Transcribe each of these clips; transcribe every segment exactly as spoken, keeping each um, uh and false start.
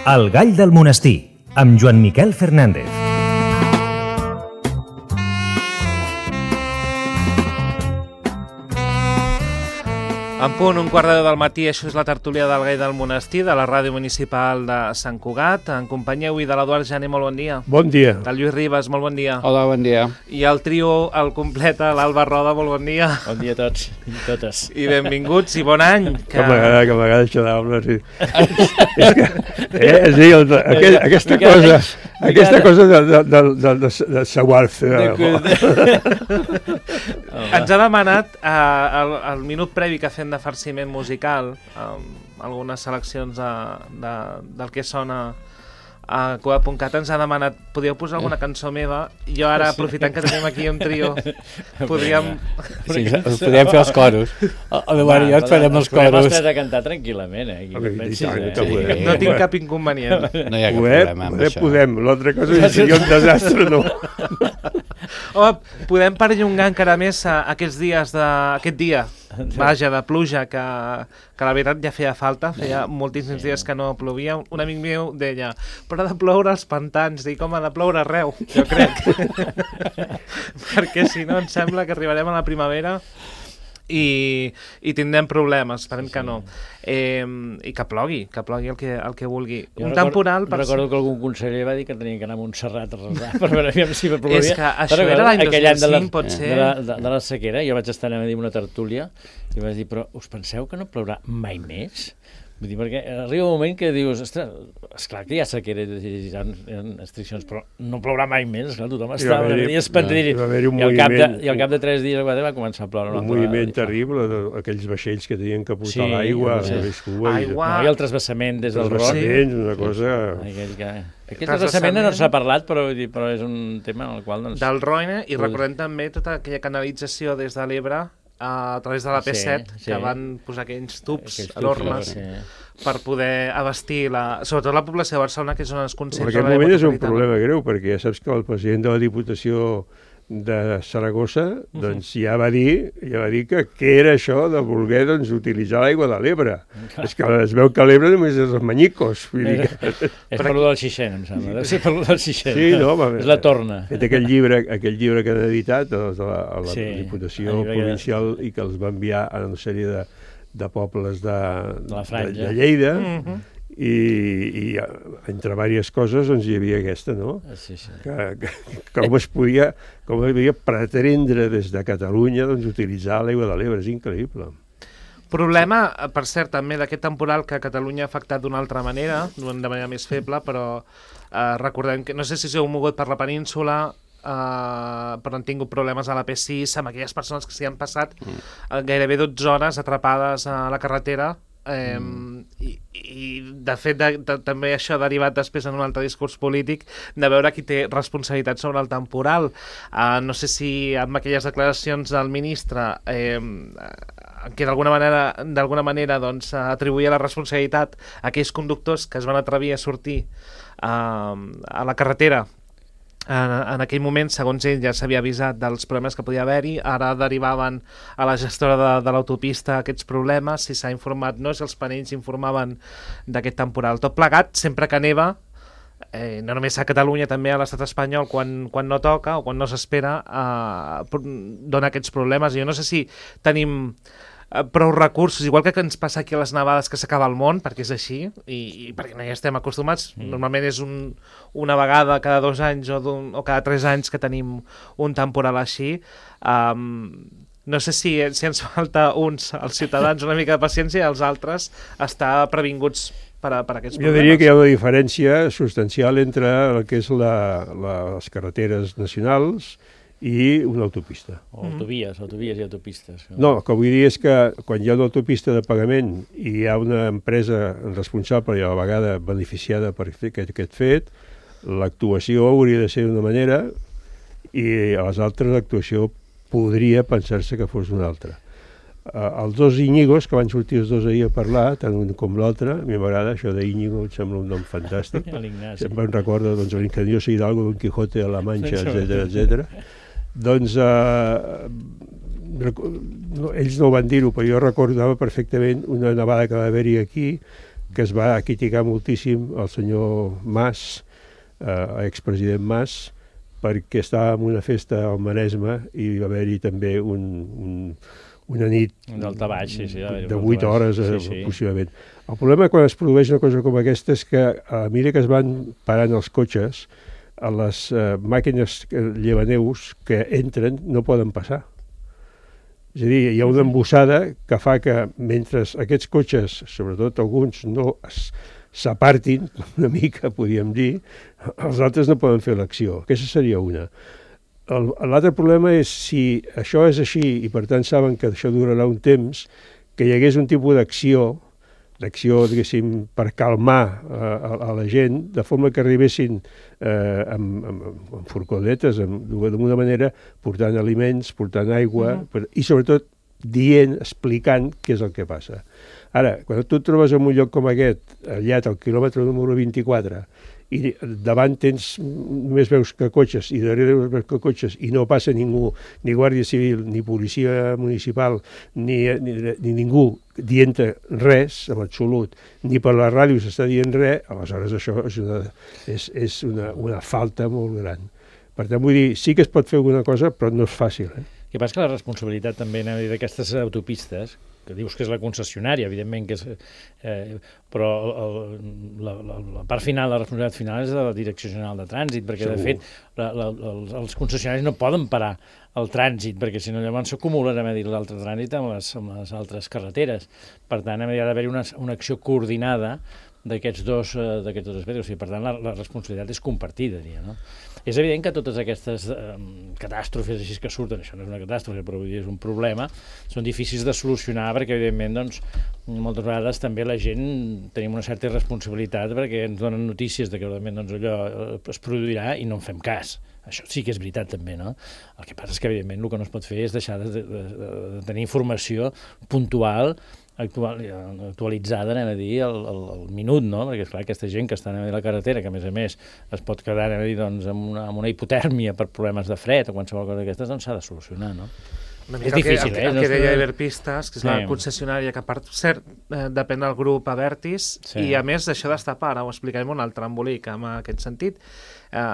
El gall del monestir, amb Joan Miquel Fernández. En punt, un quart de deu del matí, això és la tertúlia del Gall del Monestir, de la ràdio municipal de Sant Cugat. En companyia avui de l'Eduard Jané, molt bon dia. Bon dia. Del Lluís Ribas, molt bon dia. Hola, bon dia. I el trio el completa, l'Alba Roda, molt bon dia. Bon dia a tots i totes. I benvinguts i bon any. Que m'agrada, que m'agrada això d'Alba, sí. És que, eh, és dir, el, aquell, aquesta cosa, aquesta cosa de, de, de, de, de, de saguarfe. Ens ha demanat eh, el, el minut previ que fem de farciment musical, amb algunes seleccions de, de, del que sona a Cugat punt cat. Ens ha demanat, podíeu posar alguna cançó meva? Jo ara, aprofitant que tenim aquí un trio, podríem... Sí, us podríem fer els coros. A veure, jo et farem els coros. Els podem a cantar tranquil·lament, eh? Okay, Pensis, tant, eh? que podem. No tinc cap inconvenient. No hi ha cap Podem, problema amb podem, això. podem. L'altra cosa és seria un desastre, no. Home, podem perllongar encara més a aquests dies de... aquest dia, vaja, de pluja, que, que la veritat ja feia falta, feia moltíssims dies que no plovia. Un amic meu deia, però ha de ploure als pantans. Dic, home, ha de ploure arreu, jo crec. Perquè si no, em sembla que arribarem a la primavera i, i tindrem problemes, esperem sí, sí. que no. Eh, I que plogui, que plogui el que, el que vulgui. Jo un record, temporal... Per... Recordo que algun conseller va dir que tenia que anar a Montserrat a resar per veure si plovia. És que això era l'any dos mil cinc, pot ser. De la, de, de la sequera, jo vaig estar a dir una tertúlia i vaig dir, però us penseu que no plourà mai més? Vull dir, perquè arriba un moment que dius, ostres, esclar que hi ha sequera i hi ha restriccions, però no plourà mai més, esclar, tothom estava una mica espantit. I al cap de, i al cap de tres dies va començar a ploure. Un moviment terrible, aquells vaixells que tenien que portar l'aigua, aigua, i el transvassament des del Ron. Una cosa... Aquest transvassament no s'ha parlat, però és un tema en el qual... Del Roine, i recordem també tota aquella canalització des de l'Ebre a través de la P set, sí, sí. que van posar aquells tubs aquells enormes sí. per poder abastir, la, sobretot la població de Barcelona, que és on es concentra... En aquest moment és un problema greu, perquè ja saps que el president de la Diputació de Saragossa doncs, ja, va dir, ja va dir que què era això de voler doncs, utilitzar l'aigua de l'Ebre. És que es veu que l'Ebre només és els manyicos. Vull dir que... És per lo del Xixent, em sembla. Deu ser per lo del Xixent. Sí, no, va, és la torna. Fet aquell llibre, aquell llibre que han editat a la, a la sí, Diputació Provincial i que els va enviar a una sèrie de, de pobles de, de, la Franja. de, de Lleida, mm-hmm. i, i entre diverses coses doncs, hi havia aquesta, no? Sí, sí. Que, que, com es podia, com es podia pretendre des de Catalunya doncs, utilitzar l'aigua de l'Ebre, és increïble. Problema, per cert, també d'aquest temporal que a Catalunya ha afectat d'una altra manera, de manera més feble, però eh, recordem que, no sé si s'heu mogut per la península, Uh, però han tingut problemes a la P sis amb aquelles persones que s'hi han passat mm. uh, gairebé dotze hores atrapades a la carretera eh, mm. i, i de fet de, de, també això ha derivat després en un altre discurs polític de veure qui té responsabilitat sobre el temporal. Uh, no sé si amb aquelles declaracions del ministre eh, que d'alguna manera, d'alguna manera doncs, atribuïa la responsabilitat a aquells conductors que es van atrevir a sortir uh, a la carretera. En, en aquell moment, segons ell, ja s'havia avisat dels problemes que podia haver-hi, ara derivaven a la gestora de, de l'autopista aquests problemes, si s'ha informat no, si els panells informaven d'aquest temporal. Tot plegat, sempre que neva, eh, no només a Catalunya, també a l'estat espanyol, quan, quan no toca o quan no s'espera, eh, dona aquests problemes. Jo no sé si tenim prou recursos, igual que ens passa aquí a les nevades que s'acaba el món, perquè és així i, i perquè no hi estem acostumats. Mm. Normalment és un, una vegada cada dos anys o, o cada tres anys que tenim un temporal així. Um, no sé si, si ens falta uns, els ciutadans, una mica de paciència, i els altres estar previnguts per, a, per aquests problemes. Jo diria que hi ha una diferència substancial entre el que és la, la, les carreteres nacionals i una autopista. O autovies, autovies i autopistes. No, el que vull dir és que quan hi ha una autopista de pagament i hi ha una empresa responsable i a la vegada beneficiada per fer aquest, aquest fet, l'actuació hauria de ser d'una manera i a les altres l'actuació podria pensar-se que fos una altra. Uh, els dos Íñigos, que van sortir els dos ahir a parlar, tant un com l'altre, a mi m'agrada, això d'Íñigo em sembla un nom fantàstic. Sempre em recorda doncs, l'Ingenioso Hidalgo, Don Quijote de la Mancha, etcètera, etcètera. Doncs eh, no, ells no ho van dir-ho, però jo recordava perfectament una nevada que va haver-hi aquí, que es va criticar moltíssim el senyor Mas, eh, expresident Mas, perquè estava en una festa al Maresme i va haver-hi també un, un, una nit baix, sí, sí, de vuit hores, sí, sí. sí. possiblement. El problema quan es produeix una cosa com aquesta és que a mesura que es van parant els cotxes, a les uh, màquines llevaneus que entren no poden passar. És a dir, hi ha una embossada que fa que mentre aquests cotxes, sobretot alguns, no s'apartin una mica, podríem dir, els altres no poden fer l'acció. Aquesta seria una. L'altre problema és si això és així i per tant saben que això durarà un temps, que hi hagués un tipus d'acció, d'acció, diguéssim, per calmar a, a, a la gent, de forma que arribessin eh, amb, amb, amb furgonetes, d'alguna manera, portant aliments, portant aigua, uh-huh. per, i sobretot dient, explicant què és el que passa. Ara, quan tu et trobes en un lloc com aquest, allà al quilòmetre número vint-i-quatre, i davant tens, només veus que cotxes, i darrere veus que cotxes, i no passa ningú, ni guàrdia civil, ni policia municipal, ni, ni, ni ningú dient res, en absolut, ni per la ràdio s'està dient res, aleshores això és una, és, és una, una falta molt gran. Per tant, vull dir, sí que es pot fer alguna cosa, però no és fàcil. Eh? El que passa que la responsabilitat també d'aquestes autopistes, que dius que és la concessionària, evidentment que és... Eh, però el, la, la, la part final, la responsabilitat final és de la Direcció General de Trànsit, perquè Segur. de fet la, la, els, els concessionaris no poden parar el trànsit, perquè si no llavors s'acumula l'altre trànsit amb les, amb les altres carreteres. Per tant, ha d'haver-hi una, una acció coordinada d'aquests dos, uh, d'aquests dos aspectes. O sigui, per tant, la, la responsabilitat és compartida, diria, no? És evident que totes aquestes um, catàstrofes així que surten, això no és una catàstrofe, però vull dir, és un problema, són difícils de solucionar perquè, evidentment, doncs, moltes vegades també la gent tenim una certa irresponsabilitat perquè ens donen notícies de que, evidentment, doncs, allò es produirà i no en fem cas. Això sí que és veritat, també, no? El que passa és que, evidentment, el que no es pot fer és deixar de, de, de, de tenir informació puntual, actual, actualitzada, anem a dir, al, al, al minut, no? Perquè, esclar, aquesta gent que està a la carretera, que a més a més es pot quedar, anem a dir, doncs, amb, una, amb una hipotèrmia per problemes de fred o qualsevol cosa d'aquestes, doncs s'ha de solucionar, no? És difícil, eh? El que deia Iberpistes, que és sí. la concessionària que, per cert, eh, depèn del grup Abertis, sí. i a més d'això d'estapar, ara ho explicarem un altre embolic en aquest sentit, eh,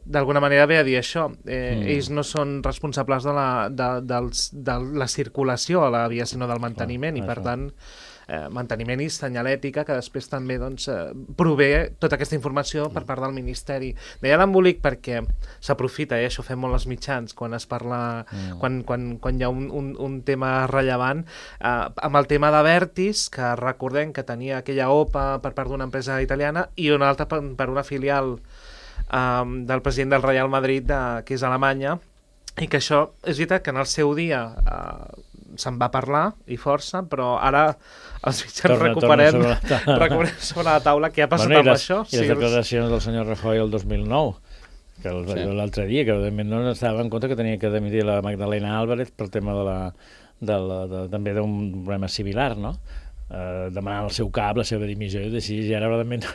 d'alguna manera ve a dir això. Eh, mm. Ells no són responsables de la, de, dels, de la circulació a la via, sinó del manteniment, oh, i per això. tant... Eh, manteniment i senyalètica que després també doncs, eh, prové tota aquesta informació per part del Ministeri. Deia l'embolic perquè s'aprofita, eh, això ho fem molt els mitjans, quan es parla, mm. quan, quan, quan hi ha un, un, un tema rellevant, eh, amb el tema d'Abertis, que recordem que tenia aquella O P A per part d'una empresa italiana i una altra per, per una filial eh, del president del Real Madrid, de, que és Alemanya, i que això és veritat que en el seu dia eh, se'n va parlar i força, però ara els mitjans torna, recuperem, torna sobre, la recuperem sobre la taula què ha passat bueno, amb les, això. I les sí, declaracions del senyor Rajoy el dos mil nou, que sí. l'altre dia, que evidentment no estava en compte que tenia que demitir la Magdalena Álvarez pel tema de la, de la, de, també d'un problema similar, no? Eh, demanant el seu cap, la seva dimissió, i així, i ara, en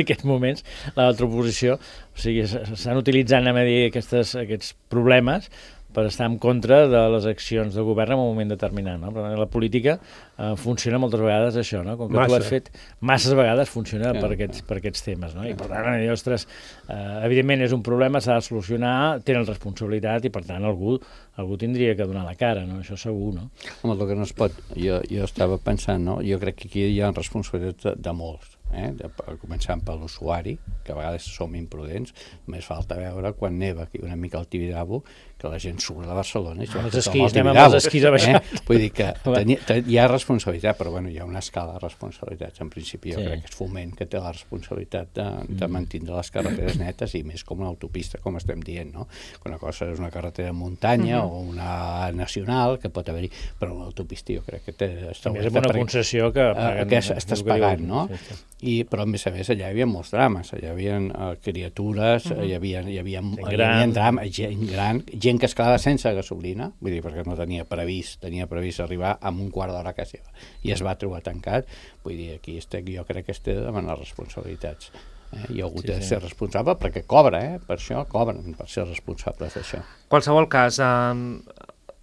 aquests moments, l'altra oposició, o sigui, s'estan utilitzant, anem a dir, aquestes, aquests problemes per estar en contra de les accions del govern en un moment determinat, no? Però la política eh, funciona moltes vegades això, no? Com que Massa. tu has fet, masses vegades funciona yeah. per, aquests, per aquests temes, no? I per tant, ostres, eh, evidentment és un problema, s'ha de solucionar, tenen responsabilitat i per tant algú, algú tindria que donar la cara, no? Això segur, no? Home, el que no es pot, jo, jo estava pensant, no? Jo crec que aquí hi ha responsabilitat de, de molts. Eh? De, començant per l'usuari, que a vegades som imprudents, només falta veure quan neva aquí una mica al Tibidabo, que la gent surt de Barcelona i ah, els esquís, anem amb els esquís a baixar. Eh? Vull dir que teni, ten, hi ha responsabilitat, però bueno, hi ha una escala de responsabilitats. En principi jo sí. crec que és Foment que té la responsabilitat de, de mantindre les carreteres netes i més com una autopista, com estem dient, no? Una cosa és una carretera de muntanya uh -huh. o una nacional, que pot haver-hi, però una autopista jo crec que té... També és una concessió que... Paguen, que estàs pagant, no? Sí, sí. I, però a més a més allà hi havia molts drames, allà hi havia uh, criatures, uh -huh. hi havia, hi havia, hi havia drames, gent gran, gent que es quedava sense gasolina, vull dir, perquè no tenia previst, tenia previst arribar amb un quart d'hora a casa seva, i es va trobar tancat. Vull dir, aquí estic, jo crec que es té de demanar responsabilitats. Eh? I ha hagut sí, de ser sí. responsable perquè cobra, eh? Per això cobren, per ser responsables d'això. En qualsevol cas, eh,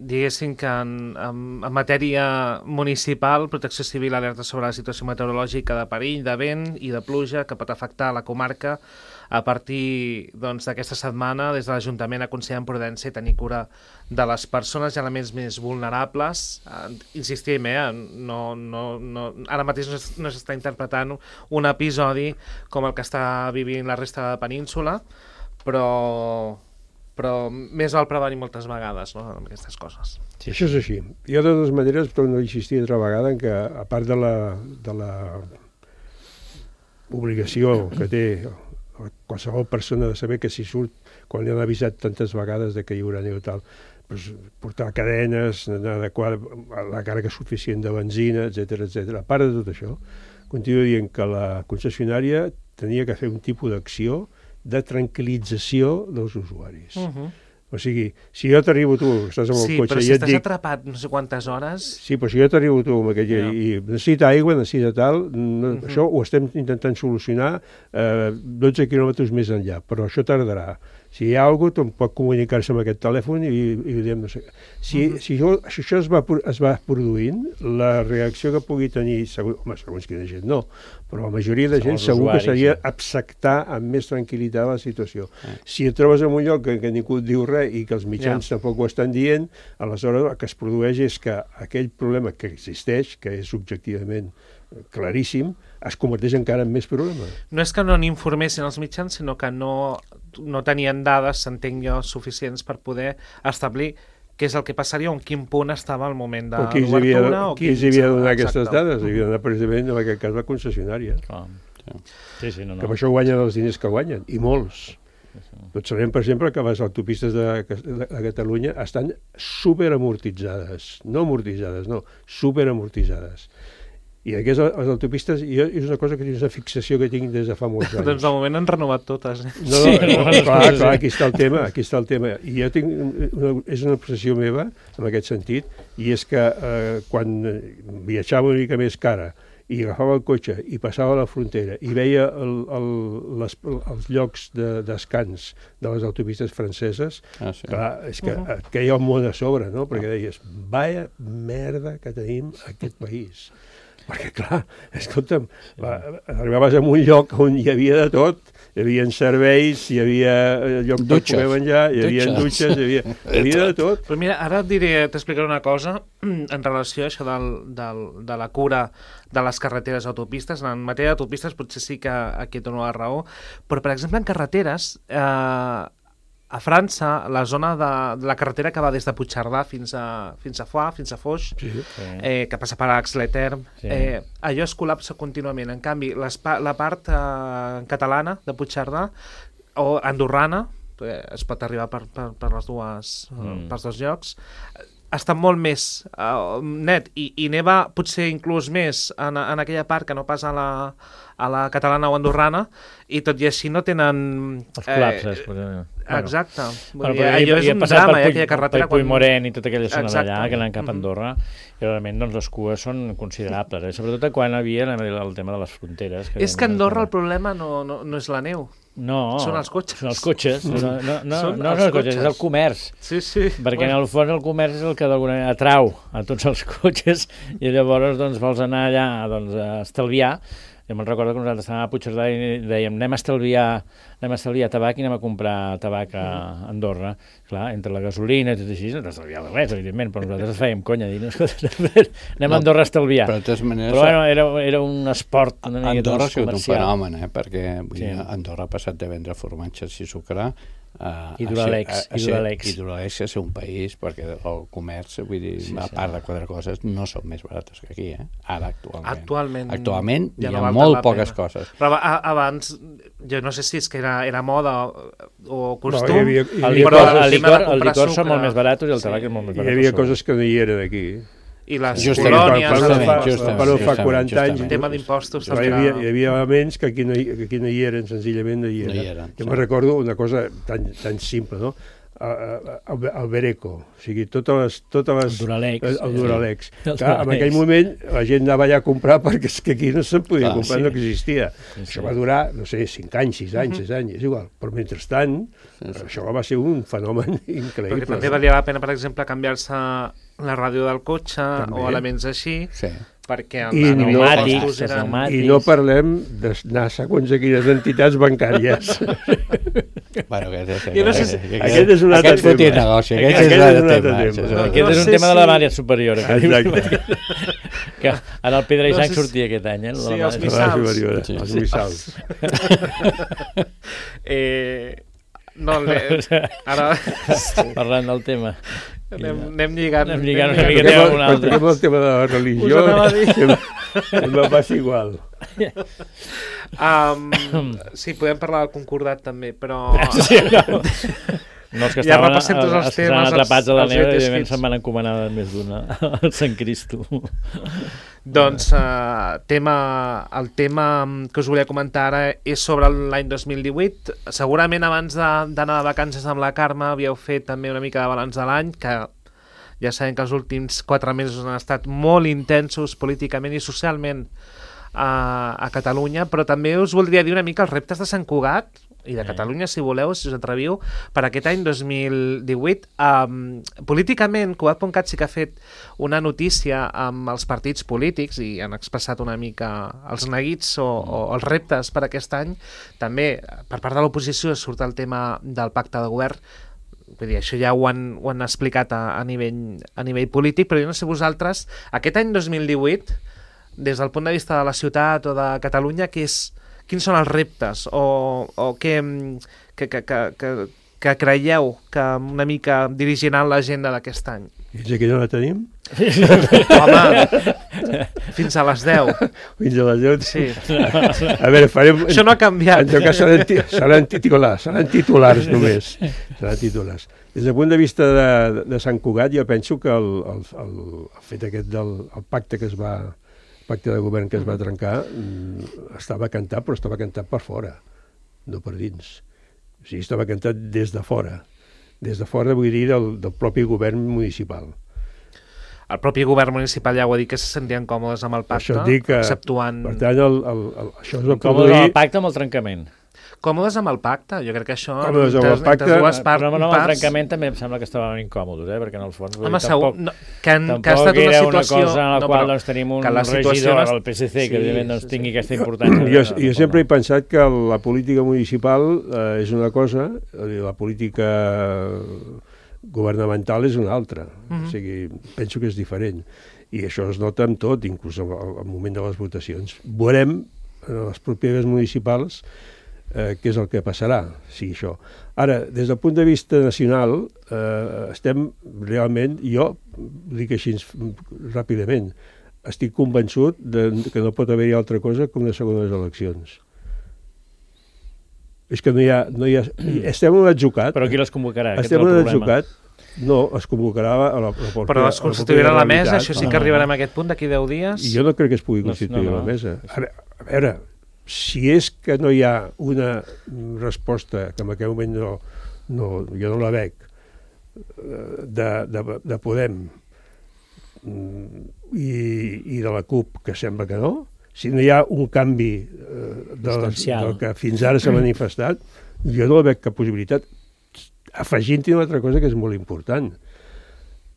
diguéssim que en, en, en matèria municipal, Protecció Civil alerta sobre la situació meteorològica de perill, de vent i de pluja que pot afectar la comarca. A partir doncs, d'aquesta setmana, des de l'Ajuntament aconsellen prudència i tenir cura de les persones i elements més vulnerables. Eh, insistim, eh, no, no, no, ara mateix no, no s'està interpretant un episodi com el que està vivint la resta de la península, però, però més val prevenir moltes vegades, no?, amb aquestes coses. Sí, això és així. Jo, de totes maneres, torno a insistir altra vegada en que, a part de la, de la obligació que té qualsevol persona de saber que si surt, quan li han avisat tantes vegades de que hi haurà neu tal, doncs portar cadenes, adequar la càrrega suficient de benzina, etcètera, etcètera. A part de tot això, continuo dient que la concessionària tenia que fer un tipus d'acció de tranquil·lització dels usuaris. Uh-huh. O sigui, si jo t'arribo tu, estàs amb el sí, cotxe i si et dic... Sí, però si estàs dic... atrapat no sé quantes hores... Sí, però si jo t'arribo tu amb aquell... Yeah. I necessita aigua, necessita tal... No, uh-huh. Això ho estem intentant solucionar eh, dotze quilòmetres més enllà, però això tardarà. Si hi ha alguna cosa, pot comunicar-se amb aquest telèfon i, i diem, no sé... Si, uh-huh. si, això, si això es va, es va produint, la reacció que pugui tenir... Segur, home, segons quina gent no, però la majoria de gent segur usuaris, que seria sí. acceptar amb més tranquil·litat la situació. Uh-huh. Si et trobes en un lloc que, que ningú et diu res i que els mitjans yeah. tampoc ho estan dient, aleshores el que es produeix és que aquell problema que existeix, que és objectivament claríssim, es converteix encara en més problema. No és que no n'informessin els mitjans, sinó que no, no tenien dades, s'entenc jo, suficients per poder establir què és el que passaria o en quin punt estava el moment de l'obertura. Qui els havia de donar aquestes dades? Havia de donar precisament, en aquest cas, la concessionària. Ah, sí, sí, no, no. Que per això guanyen els diners que guanyen, i molts. Tots sabem, per exemple, que les autopistes de, de, de Catalunya estan superamortitzades. No amortitzades, no, superamortitzades. I aquestes les autopistes, jo, és una cosa que és una fixació que tinc des de fa molts anys. Doncs de moment han renovat totes. Eh? No, no, sí, no, no, clar, clar, aquí està el tema, aquí està el tema. I jo tinc, una, és una obsessió meva, en aquest sentit, i és que eh, quan viatjava una mica més cara i agafava el cotxe i passava a la frontera i veia el, el, les, els llocs de, descans de les autopistes franceses, ah, sí. clar, és que uh-huh. et queia el món a sobre, no? Perquè deies, vaya merda que tenim a aquest país. Perquè, clar, escolta'm, va, arribaves a un lloc on hi havia de tot, hi havia serveis, hi havia lloc per poder menjar, hi havia dutxes, hi havia, hi havia de tot. Però mira, ara et diré, t'explicaré una cosa en relació a això del, del, de la cura de les carreteres autopistes. En matèria d'autopistes potser sí que aquí et dono la raó, però, per exemple, en carreteres... Eh, a França, la zona de, de la carretera que va des de Puigcerdà fins a, fins a Foix, fins a Foix, sí. eh, que passa per Ax-les-Thermes, sí. eh, allò es col·lapsa contínuament. En canvi, les, la part eh, catalana de Puigcerdà o andorrana, eh, es pot arribar per, per, per les dues, mm. pels dos llocs, està molt més uh, net i, i neva potser inclús més en, en aquella part que no pas a la, a la catalana o andorrana, i tot i així no tenen... Els col·lapses. Eh, bueno. Exacte. Bueno, dir, allò és un drama, eh, aquella carretera. Per Puigmoren i tota aquella zona d'allà, que anen cap a Andorra, i realment doncs, les cues són considerables, eh? Sobretot quan hi havia el tema de les fronteres. Que és que a Andorra el problema no, no, no és la neu. No, són els cotxes. Són els cotxes. No, no, no, són no els, els cotxes, és el comerç. Sí, sí. Perquè bueno. En el fons el comerç és el que d'alguna manera atrau a tots els cotxes i llavors doncs, vols anar allà doncs, a estalviar. Jo me'n recordo que nosaltres estàvem a Puigcerdà i dèiem anem a estalviar, anem a estalviar tabac i anem a comprar tabac a Andorra. Clar, entre la gasolina i tot així, no t'estalviava res, evidentment, però nosaltres fèiem conya, dir, no, escolta, anem a Andorra a estalviar. Però, de totes maneres, però bueno, era, era un esport una mica Andorra ha sigut comercial. Un fenomen, eh? Perquè vull dir, Andorra ha passat de vendre formatges i sucre Uh, I Duralex, a, a, a i Duralex. I Duralex és un país, perquè el comerç, vull dir, sí, a part sí. de quatre coses, no són més barates que aquí, eh? Ara, actualment. Actualment, actualment ja hi ha no molt poques pena. Coses. Però a, abans, jo no sé si és que era, era moda o costum, no, hi havia, hi havia, el licor, el licor, el licor són molt més barats i el tabac sí. és molt més barat. Hi havia coses que no hi eren aquí. I les justament, colònies, justament, fa, justament, però fa quaranta anys, el tema d'impostos hi havia, hi havia elements que aquí no hi, que aquí no hi eren, senzillament no hi eren. No hi eren jo sí. me'n recordo una cosa tan, tan simple, no? el, el Bereco, o sigui, totes les... Totes les el Duralex. El, el Duralex. Sí. Clar, El Duralex. en aquell moment la gent anava allà a comprar perquè és que aquí no se'n podia Clar, comprar, sí. no existia. Sí, sí. Això va durar, no sé, cinc anys, sis anys, sis anys, és igual. Però mentrestant, sí, sí. això va ser un fenomen increïble. Perquè també valia la pena, per exemple, canviar-se la ràdio del cotxe També. o elements així, Sí. perquè I els no- pneumàtics els eren... pneumàtics. I no parlem d'anar a segons a quines entitats bancàries. Bueno, aquest és, Jo no sé si- Aquest és un altre aquest fotia tema. negoci, Aquest aquest, és és un un altre altre tema. tema. Això és No, un- Aquest no és un sé tema de la si- Mària Superior. Exacte. Que en el Pedra i No Sang sé si- sortia aquest any, eh? el de Sí, la els Mària missals. Superior, Sí. els missals. eh, no, le, ara Parlant del tema. anem, anem lligant. Anem lligant una anem mica. Perquè Anem a un altre. el tema de la religió Us anava a dir. em, em va passar igual. Um, sí, podem parlar del concordat també, però... Sí, no. No, els que Ja estaven, repassem tots els els que estaven temes, atrapats a la els- els neu, greatest evidentment hits. se'n van encomanar més d'una al Sant Cristo. Doncs uh, tema, el tema que us volia comentar ara és sobre l'any dos mil divuit. Segurament abans de- d'anar de vacances amb la Carme havíeu fet també una mica de balanç de l'any, que ja sabem que els últims quatre mesos han estat molt intensos políticament i socialment a, a Catalunya, però també us voldria dir una mica els reptes de Sant Cugat i de Catalunya, si voleu, si us atreviu, per aquest any dos mil divuit. Um, políticament, Cugat punt cat sí que ha fet una notícia amb els partits polítics i han expressat una mica els neguits o, o els reptes per aquest any. També, per part de l'oposició, surt el tema del pacte de govern. Vull dir, això ja ho han, ho han explicat a, a, nivell, a nivell polític, però jo no sé vosaltres, aquest any dos mil divuit, des del punt de vista de la ciutat o de Catalunya, què és, quins són els reptes o, o què, que, que, que, que, que creieu que una mica dirigiran l'agenda d'aquest any? Fins aquí no la tenim? Home, fins a les deu. Fins a les deu? Sí. A veure, farem... Això no ha canviat. En tot cas seran, ti- seran titulars, seran titulars només. Seran titulars. Des del punt de vista de, de Sant Cugat, jo penso que el, el, el, el fet aquest del el pacte que es va pacte de govern que es va trencar mm, estava cantat, però estava cantat per fora, no per dins. O sigui, estava cantat des de fora. Des de fora, vull dir, del, del propi govern municipal. El propi govern municipal ja ho ha dit que se sentien còmodes amb el pacte, Això et dic que, exceptuant... per tant, el, el, el, això es va Com el produir... pacte amb el trencament. Còmodes amb el pacte, jo crec que això... Còmodes amb el entre- pacte, entre dues part, Però no, amb el parts... trencament també em sembla que estaven incòmodes, eh? Perquè en el fons... vull Home, dir, segur, tampoc, no, que, han, tampoc que ha estat una era situació... una cosa en la no, qual però doncs, tenim un que la situació regidor, no és- el P S C, Sí, que evidentment doncs, sí, tingui sí. aquesta importància. Jo, No, jo no, sempre no. he pensat que la política municipal eh, és una cosa, la política governamental és una altra. Mhm. O sigui, penso que és diferent. I això es nota en tot, inclús al, al moment de les votacions. Veurem en les properes municipals eh, què és el que passarà, sí, això. Ara, des del punt de vista nacional, eh, estem realment, jo ho dic així ràpidament, estic convençut de, que no pot haver-hi altra cosa que unes segones eleccions. És que no hi ha... No hi ha estem en l'atzucat. Però qui les convocarà? Aquest és Estem el en problema. l'atzucat. No, es convocarà a la, a la, a Però es a la constituirà la mesa, realitat. això sí No, que no, arribarem no. a aquest punt d'aquí deu dies. I jo no crec que es pugui No, constituir no, no. la mesa. Ara, a veure, si és que no hi ha una resposta, que en aquell moment no, no, jo no la veig, de, de, de Podem mm, i, i de la CUP, que sembla que no, si no hi ha un canvi eh, de, Substancial. del que fins ara s'ha manifestat, jo no veig cap possibilitat, afegint-hi una altra cosa que és molt important.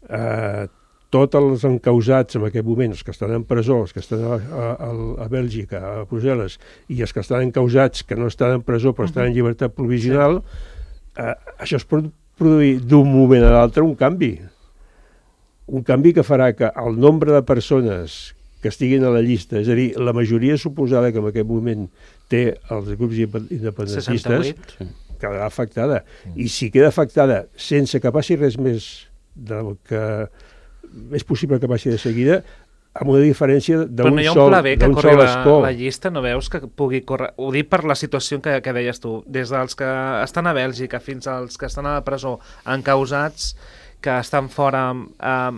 Eh, tots els encausats en aquest moment, els que estan en presó, els que estan a, a, a Bèlgica, a Brussel·les, i els que estan encausats que no estan en presó però estan en llibertat provisional, eh, això es pot produir d'un moment a l'altre un canvi. Un canvi que farà que el nombre de persones que estiguin a la llista, és a dir, la majoria suposada que en aquest moment té els grups independentistes, seixanta-vuit. quedarà afectada. I si queda afectada sense que passi res més del que és possible que passi de seguida, amb una diferència Però d'un no hi ha un sol, pla B que d'un corri sol la, escó. la llista, no veus que pugui córrer? Ho dic per la situació que, que deies tu, des dels que estan a Bèlgica fins als que estan a la presó encausats, que estan fora um,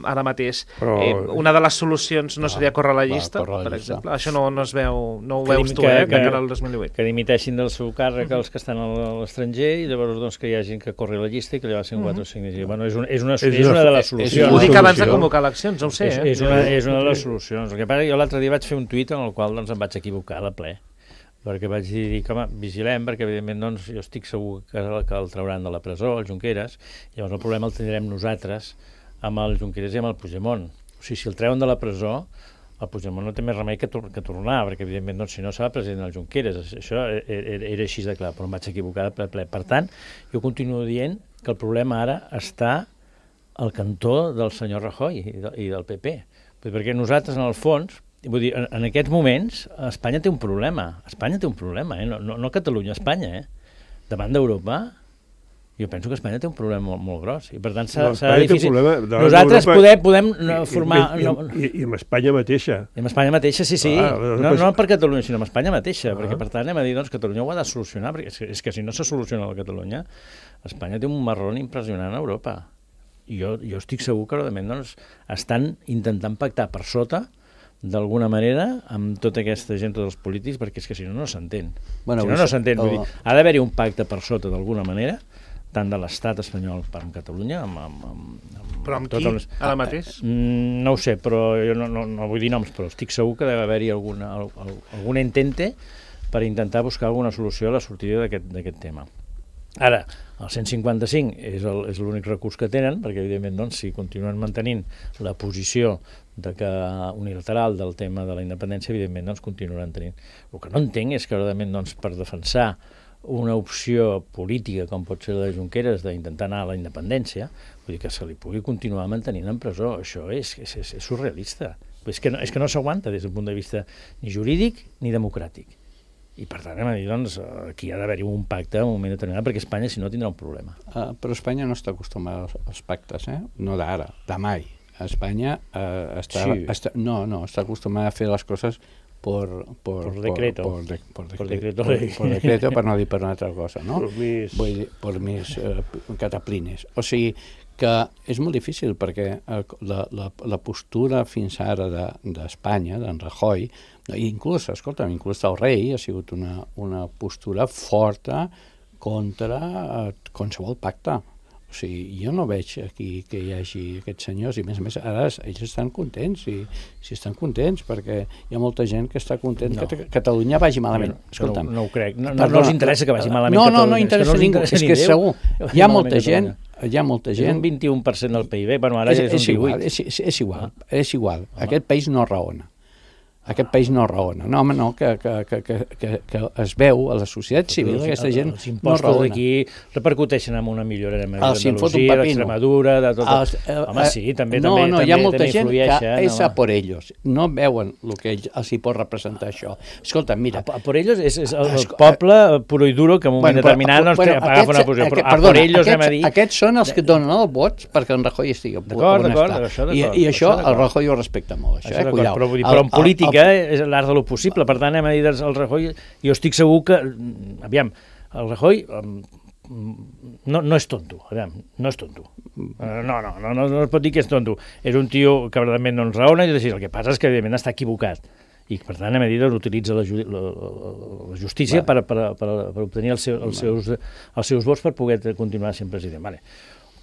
ara mateix. Però... Eh, una de les solucions no seria córrer la llista, córrer la per llista. exemple. Això no, no es veu, no ho Que veus dim- tu, que- eh, que- de cara al dos mil divuit. Que dimiteixin del seu càrrec els que estan a l'estranger i llavors doncs, que hi ha gent que corri la llista i que llavors en quatre o cinc. Bueno, és, un, és, una, és, És una- una de les és solucions. Ho una dic abans de solució. convocar eleccions, no ho sé, és, eh? és, una, és una de les solucions. El que passa, jo l'altre dia vaig fer un tuit en el qual doncs, em vaig equivocar a ple, perquè vaig dir que, home, vigilem, perquè evidentment doncs, jo estic segur que, que el trauran de la presó, el Junqueras, llavors el problema el tindrem nosaltres amb el Junqueras i amb el Puigdemont. O sigui, si el treuen de la presó, el Puigdemont no té més remei que, tor que tornar, perquè evidentment doncs, si no serà president del Junqueras, això era, era així de clar, però em vaig equivocar de ple. Per tant, jo continuo dient que el problema ara està al cantó del senyor Rajoy i, de, i del P P, perquè nosaltres, en el fons, vull dir, en, en aquests moments, Espanya té un problema. Espanya té un problema, eh? no, no, no Catalunya, Espanya. Eh? Davant d'Europa, jo penso que Espanya té un problema molt, molt gros. I per tant serà, No, serà Espanya té un difícil. problema davant Nosaltres d'Europa podem, podem no, I- formar... I, i, no, i, I amb Espanya mateixa. i amb Espanya mateixa, sí, sí. Ah, no, doncs- no per Catalunya, sinó amb Espanya mateixa, Ah. perquè per tant anem a dir doncs, Catalunya ho ha de solucionar, perquè és que, és que si no se soluciona la Catalunya, Espanya té un marrón impressionant a Europa. I jo, jo estic segur que realment doncs, estan intentant pactar per sota d'alguna manera amb tota aquesta gent, tots els polítics, perquè és que si no, no s'entén. Bueno, si no, avui no se- s'entén. Vull el- dir, ha d'haver-hi un pacte per sota d'alguna manera, tant de l'estat espanyol per amb Catalunya, amb, amb, amb, amb Però amb totes qui, les- ara mateix? Mm, no ho sé, però jo no, no, no vull dir noms, però estic segur que deu haver-hi alguna, al- al- algun intente per intentar buscar alguna solució a la sortida d'aquest d'aquest tema. Ara, el cent cinquanta-cinc és el- és l'únic recurs que tenen, perquè evidentment doncs, si continuen mantenint la posició de que unilateral del tema de la independència, evidentment doncs, continuaran tenint. El que no entenc és que realment doncs, per defensar una opció política com pot ser la de Junqueras d'intentar anar a la independència, vull dir que se li pugui continuar mantenint en presó, això és, és, és, és surrealista. És que no, és que no s'aguanta des d'un punt de vista ni jurídic ni democràtic. I per tant, hem de dir, doncs, aquí ha d'haver-hi un pacte en un moment determinat, perquè Espanya, si no, tindrà un problema. Uh, però Espanya no està acostumada als, als pactes, eh? No d'ara, de mai. Espanya uh, està, Sí. està... No, no, està acostumada a fer les coses por, por, Por decreto. Por, por, de, por, Por decreto, decreto por, ley. por decreto, per no dir per una altra cosa, no? Por mis- Vull dir, per mis uh, cataplines. O sigui, que és molt difícil perquè eh, la, la, la postura fins ara d'Espanya, de, d'en Rajoy, inclús, escolta'm, inclús el rei ha sigut una, una postura forta contra eh, qualsevol pacte. O sigui, jo no veig aquí que hi hagi aquests senyors, i a més a més ara ells estan contents, i si estan contents, perquè hi ha molta gent que està content No. que Catalunya vagi malament. Bueno, Escolta'm. no, no ho crec. No, no, Perdona, no els interessa que vagi malament no, no, Catalunya. no interessa és que no els ningú, interessa és ni que Déu segur. que vagi Hi ha malament molta gent, Catalunya. hi ha molta És gent... un vint-i-un per cent del P I B, bueno, ara és, ja és, és un igual, divuit. és, és, és igual, és igual. Aquest país no raona. Aquest país no raona. No, home, no, que, que, que, que, que, que es veu a la societat civil, Els- aquesta gent els no impostos raona. d'aquí repercuteixen en una millora de Els hi fot un Andalusia, pepino. d'Extremadura, de tot... Els, eh, Home, sí, també, no, també, no, també, hi ha molta també gent que influeixen, és a home. por ellos. No veuen el que ells- els hi pot representar això. Escolta, mira... A, a por ellos és, és el, el Esco- poble puro i duro que en un moment però- determinat doncs, bueno, agafa una aquests- posició, però aquest- a perdona, por ellos aquests, anem a dir... aquests són els que donen el vot perquè en Rajoy estigui on D'acord, on d'acord, està. això I, d'acord, I això això d'acord. el Rajoy ho respecta molt, això, Això eh? d'acord, Cuidao. però, vull dir, El- però en el- política el- és l'art de lo possible, per tant anem a dir doncs, el Rajoy, jo estic segur que, mm, aviam, el Rajoy mm, no, no és tonto, aviam, no és tonto. Uh, no, no, no, no, no es pot dir que és tonto. És un tio que realment no ens raona, i així, el que passa és que evidentment està equivocat. I per tant, a mesura utilitza la, ju la, la, la justícia per, per, per, per obtenir els, seu, els, seus, els seus vots per poder continuar sent president. Vale.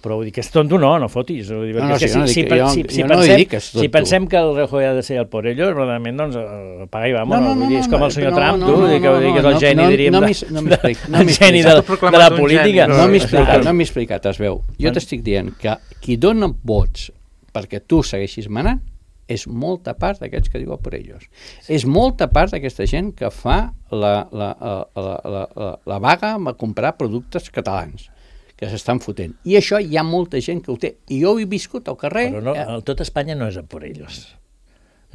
Però vull dir que és tonto, no, no fotis. Vull dir, No, no, perquè si jo no si, dic si, que- jo- si, si, jo no pensem, dic que és tonto. si pensem que el Rajoy ha de ser el por ellos, realment, doncs, eh, paga i vamos. No, No, no, no, vull dir, és com no, el senyor no, Trump, no, tu, no, vull dir que, no, vull dir que és no, el geni, no, diríem, no de- m'he- no m'he explicat, no el m'he geni de, explicat. de la política. No m'he explicat, Clar. no m'he explicat, es veu. Jo t'estic dient que qui dona vots perquè tu segueixis manant és molta part d'aquests que diu per ells. És molta part d'aquesta gent que fa la, la, la, la, la, la, la vaga a comprar productes catalans, que s'estan fotent. I això hi ha molta gent que ho té. I jo ho he viscut al carrer. Però no, eh, el, tot Espanya no és a por ells.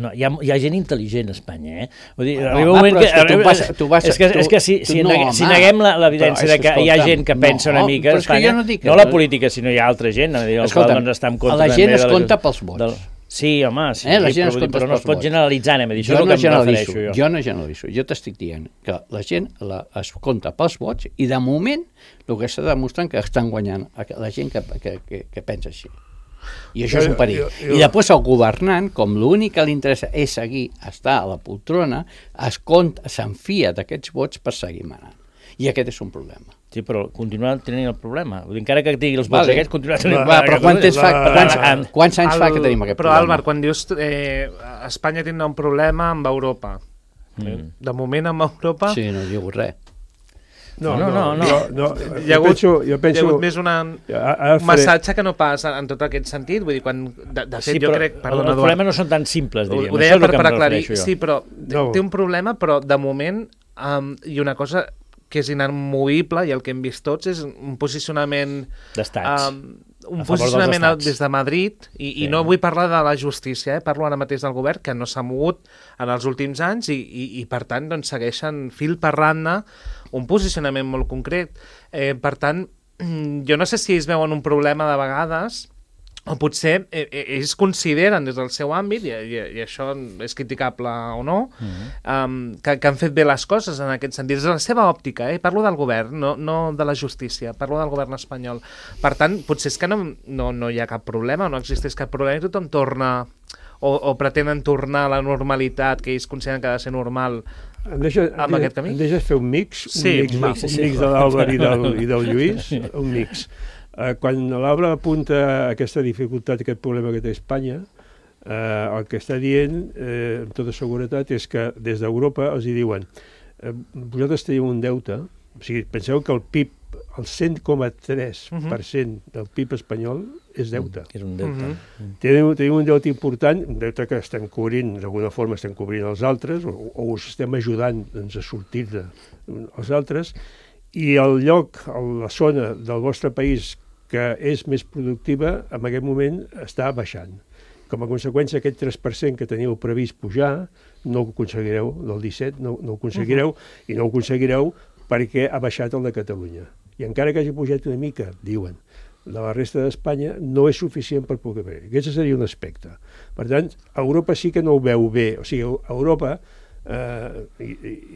No, hi, ha, hi ha gent intel·ligent a Espanya, eh? Vull dir, No, arriba un home, moment però que... és que tu arriba- vas- tu vas- és que, tu- és que si, tu si, no, negue, si home. neguem la- l'evidència Però és de que que, hi ha escolta'm, gent que pensa no, una mica a però és que Espanya, jo no dic que- no la política, sinó hi ha altra gent, a dir, el Escolta'm, qual doncs, està en compte la gent també es de la- compta pels vots. del- Sí, home, sí, Eh, la gent però, es vull dir, compta però no es pels pot vots. generalitzar, anem a dir, això Jo és no el que em generalitzo, refereixo jo. jo no generalitzo, jo t'estic dient que la gent la, es compta pels vots i de moment el que està demostrant que estan guanyant la gent que, que, que, que pensa així. I això és un perill. I després el governant, com l'únic que li interessa és seguir, estar a la poltrona, es compta, s'enfia d'aquests vots per seguir manant. I aquest és un problema. Sí, però continuar tenint el problema. Vull dir, encara que tingui els vots Vale. aquests, continuar tenint el Va, problema. però quants anys fa, quants, Va. quants anys fa El- que tenim aquest Però, problema? Álvar, quan dius eh, Espanya tindrà un problema amb Europa, Mm. de moment amb Europa Sí, no diu res. No, No, no, no. Jo, no, hi ha jo hagut, penso, jo hi ha penso, hagut més una, Ara- ara un faré- massatge que no passa en tot aquest sentit. Vull dir, quan, de, de fet, Sí, jo però crec... el, Perdona, el Eduard, problema no són tan simples, ho, diríem. ho Això deia és el per, que per em aclarir. refereixo jo. Sí, però té, No. té un problema, però de moment, um, i una cosa que és inamovible, i el que hem vist tots, és un posicionament... D'estats. Um, un A favor dels posicionament estats. des de Madrid, i, Sí. i no vull parlar de la justícia, eh? Parlo ara mateix del govern, que no s'ha mogut en els últims anys i, i, i per tant, doncs, segueixen fil per randa un posicionament molt concret. Eh, per tant, jo no sé si ells veuen un problema de vegades, o potser eh, eh, ells consideren des del seu àmbit, i, i, i això és criticable o no, Mm-hmm. um, que, que han fet bé les coses en aquest sentit. És la seva òptica, eh? Parlo del govern, no, no de la justícia, parlo del govern espanyol. Per tant, potser és que no, no, no hi ha cap problema, no existeix cap problema i tothom torna, o, o pretenen tornar a la normalitat que ells consideren que ha de ser normal. Em deixa, amb aquest camí? em deixes fer un mix, un Sí, mix, va. un mix de l'Àlvar i, del, i del Lluís, un mix. Eh, quan l'Àlvar apunta aquesta dificultat, aquest problema que té Espanya, eh, el que està dient, eh, amb tota seguretat, és que des d'Europa els hi diuen eh, vosaltres teniu un deute, o sigui, penseu que el P I B, el cent coma tres per cent del P I B espanyol és deute. Que és un deute. Mhm. Tenim, tenim un deute important, un deute que estem cobrint, d'alguna forma estem cobrint els altres, o, o us estem ajudant doncs, a sortir de els altres, i el lloc, la zona del vostre país que és més productiva, en aquest moment està baixant. Com a conseqüència, aquest tres per cent que teníeu previst pujar, no ho aconseguireu, del disset, no, no ho aconseguireu, uh-huh. i no ho aconseguireu perquè ha baixat el de Catalunya. I encara que hagi pujat una mica, diuen, de la resta d'Espanya, no és suficient per poder fer. Aquest seria un aspecte. Per tant, Europa sí que no ho veu bé. O sigui, Europa, eh, i,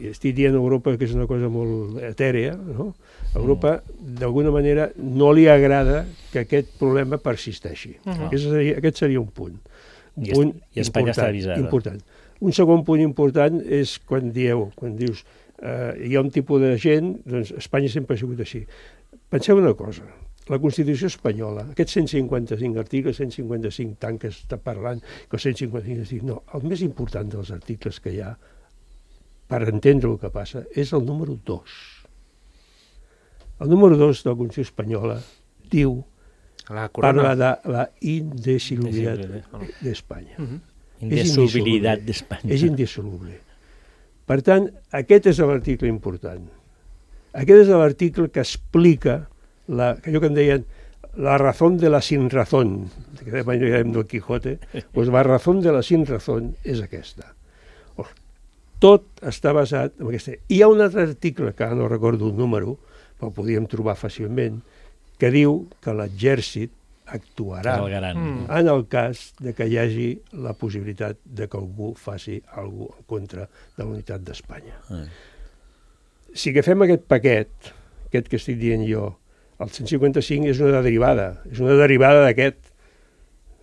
i estic dient Europa que és una cosa molt etèrea, no? Europa, d'alguna manera, no li agrada que aquest problema persisteixi. Uh-huh. aquest, seria, aquest seria un punt. Un I, punt I Espanya important, està avisada. important. Un segon punt important és quan dieu, quan dius eh, hi ha un tipus de gent, doncs Espanya sempre ha sigut així. Penseu una cosa, la Constitució espanyola, aquests cent cinquanta-cinc articles, cent cinquanta-cinc tant que està parlant, que cent cinquanta-cinc, no, el més important dels articles que hi ha, per entendre el que passa, és el número dos. El número dos de la Constitució espanyola diu, La corona. parla de la indissolubilitat d'Espanya. Mhm. Indissolubilitat d'Espanya. És indissoluble. Per tant, aquest és l'article important. Aquest és l'article que explica la, allò que en deien la razón de la sin razón, que dèiem del Quijote, doncs la razón de la sin razón és aquesta. Tot està basat en aquesta. Hi ha un altre article, que ara no recordo un número, però el podíem trobar fàcilment, que diu que l'exèrcit actuarà El garant. Mm. en el cas de que hi hagi la possibilitat de que algú faci alguna cosa en contra de la unitat d'Espanya. Ah. Si agafem aquest paquet, aquest que estic dient jo, el cent cinquanta-cinc és una derivada, és una derivada d'aquest.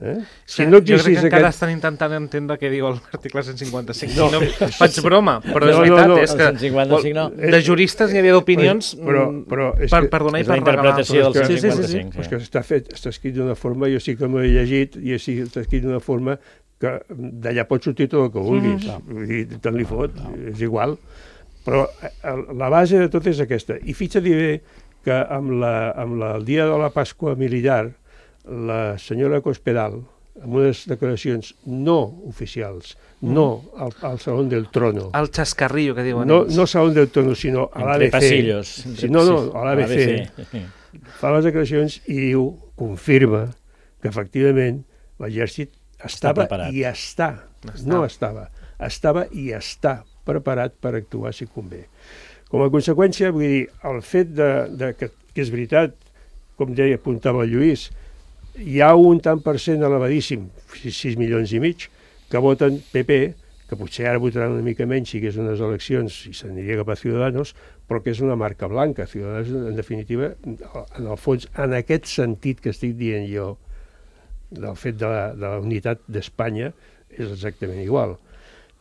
Eh? Si no jo crec que existís encara aquest... estan intentant entendre què diu l'article cent cinquanta-cinc. No. No, no faig broma, però és No, no, veritat. no, és el que, cent cinquanta-cinc no. De juristes n'hi havia d'opinions Però- però és per, que- per donar i És la per regalar. interpretació del Però és cent que- Sí, sí, sí, sí. cinquanta-cinc. És que està, fet, està escrit d'una forma, jo sí que m'ho he llegit, i sí, està escrit d'una forma que d'allà pot sortir tot el que vulguis. Mm. Vull dir, tant li fot, és igual. Però eh, la base de tot és aquesta. I fixa't bé que amb, la, amb la, el dia de la Pasqua militar, la senyora Cospedal, amb unes declaracions no oficials, mm. no al, al Salón del Trono, El xascarrillo que diuen no, ells. no Salón del Trono, sinó a Entre l'A B C, pasillos. sí, no, no, a l'A B C, fa les declaracions i diu, confirma que efectivament l'exèrcit estava preparat. i està, Està. no estava, estava i està preparat per actuar si convé. Com a conseqüència, vull dir, el fet de, de que, que és veritat, com deia, apuntava el Lluís, hi ha un tant per cent elevadíssim, sis milions i mig, que voten P P, que potser ara votaran una mica menys si hi hagués unes eleccions i s'aniria cap a Ciudadanos, però que és una marca blanca. Ciudadanos, en definitiva, en el fons, en aquest sentit que estic dient jo, del fet de la, de la unitat d'Espanya és exactament igual.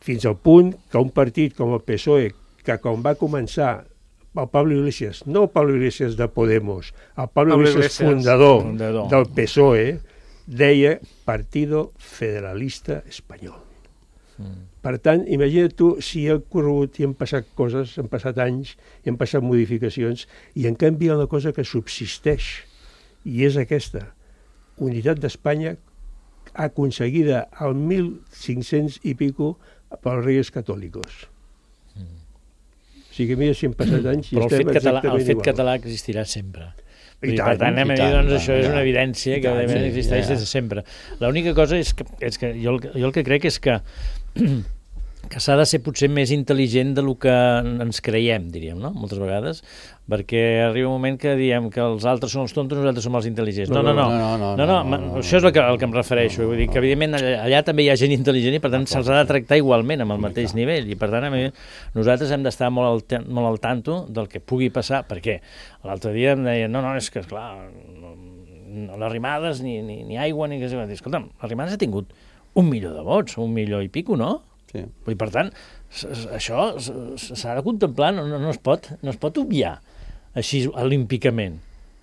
Fins al punt que un partit com el P S O E, que quan va començar el Pablo Iglesias, no el Pablo Iglesias de Podemos, el Pablo, Pablo Iglesias, Iglesias fundador, fundador del P S O E, deia Partido Federalista Espanyol. Mm. Per tant, imagina't tu si ha corregut i han passat coses, han passat anys, i han passat modificacions, i en canvi hi ha una cosa que subsisteix, i és aquesta, unitat d'Espanya aconseguida al mil cinc-cents i pico pels Reis Catòlicos. Mm. O sigui, mira si han passat anys i però estem el fet català, exactament el fet igual. català existirà sempre. I per tant, anem a dir, doncs, això és una evidència que existeix des de sempre. L'única cosa és que, és que jo, jo el que crec és que que s'ha de ser potser més intel·ligent del que ens creiem, diríem, no? Moltes vegades, perquè arriba un moment que diem que els altres són els tontos, nosaltres som els intel·ligents. No, no, no, no, no, no, no, no, no. Això és el que, el que em refereixo. Vull dir que, evidentment, allà, allà també hi ha gent intel·ligent i, per tant, se'ls ha de tractar igualment, amb el mateix nivell. I, per tant, a mi, nosaltres hem d'estar molt al, molt al tanto del que pugui passar, perquè l'altre dia em deien, no, no, és que, esclar, no, no l'arrimades, ni, ni, ni aigua, ni que... Escolta'm, l'arrimades ha tingut un milió de vots, un milió i pico, no? Sí. I per tant, això s'ha de contemplar, no, no, es pot, no es pot obviar així olímpicament.